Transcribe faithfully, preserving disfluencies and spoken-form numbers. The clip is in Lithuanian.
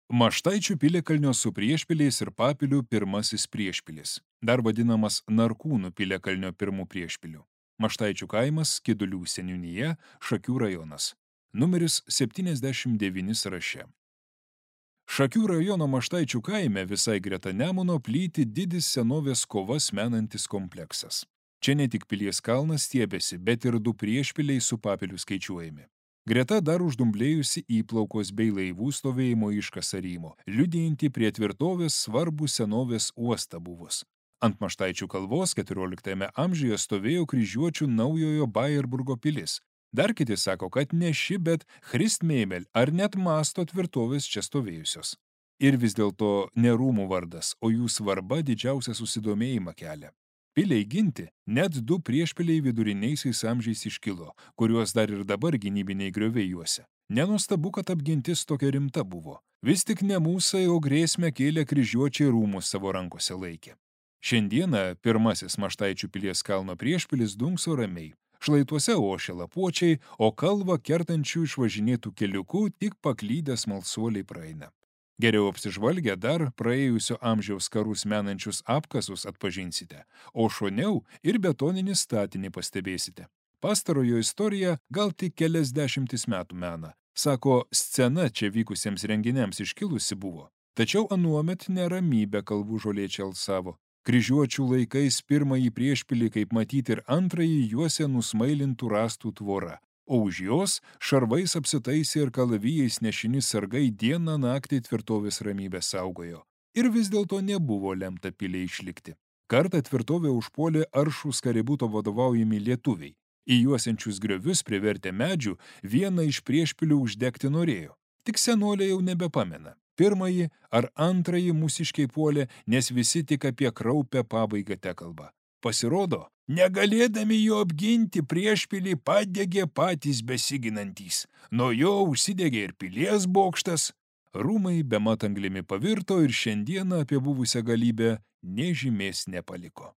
Maštaičių piliakalnio su priešpiliais ir papilių pirmasis priešpilis, dar vadinamas Narkūnų piliakalnio pirmų priešpilių. Maštaičių kaimas, Skidulių seniūnija, Šakių rajonas. Numeris septyniasdešimt devyni sąraše. Šakių rajono Maštaičių kaime visai greta Nemuno plyti didis senovės kovas menantis kompleksas. Čia ne tik Pilies kalnas stiebėsi, bet ir du priešpiliai su papiliu skaičiuojami. Greta dar uždumblėjusi įplaukos bei laivų stovėjimo iškasarymo, liudijantį prie tvirtovės svarbų senovės uostą buvus. Ant Maštaičių kalvos keturioliktajame amžiuje stovėjo kryžiuočių naujojo Bajerburgo pilis. Dar kiti sako, kad ne ši, bet Christmeimel ar net Masto tvirtovės čia stovėjusios. Ir vis dėlto ne rūmų vardas, o jų svarba didžiausią susidomėjimą kelia. Piliai ginti net du priešpiliai viduriniaisiais amžiais iškilo, kuriuos dar ir dabar gynybiniai grioviai juose. Nenuostabu, kad apgintis tokia rimta buvo. Vis tik ne mūsai, o grėsmę kėlė kryžiuočiai rūmus savo rankose laikė. Šiandieną pirmasis Maštaičių Pilies kalno priešpilis dunkso ramiai. Šlaituose ošia lapuočiai, o kalvą kertančių išvažinėtų keliukų tik paklydęs smalsuoliai praeina. Geriau apsižvalgę dar praėjusio amžiaus karus menančius apkasus atpažinsite, o šoniau ir betoninį statinį pastebėsite. Pastarojo istorija gal tik kelias dešimtis metų mena. Sako, scena čia vykusiems renginiams iškilusi buvo. Tačiau anuomet neramybę kalvų žolėčiai alsavo. Kryžiuočių laikais pirmąjį priešpilį, kaip matyti, ir antrąjį juose nusmailintų rąstų tvora. O už jos šarvais apsitaisė ir kalavijais nešini sargai dieną naktį tvirtovės ramybę saugojo. Ir vis dėlto nebuvo lemta piliai išlikti. Kartą tvirtovę užpuolė aršūs Kaributo vadovaujami lietuviai. Į juosiančius griovius privertę medžių vieną iš priešpilių uždegti norėjo. Tik senolė jau nebepamena. Pirmąjį ar antrąjį mūsiškiai puolė, nes visi tik apie kraupę pabaigą tekalba. Pasirodo, negalėdami jo apginti priešpilį padegė patys besiginantys. Nuo jo užsidegė ir pilies bokštas. Rūmai bemat anglimi pavirto ir šiandieną apie buvusią galybę nė žymės nepaliko.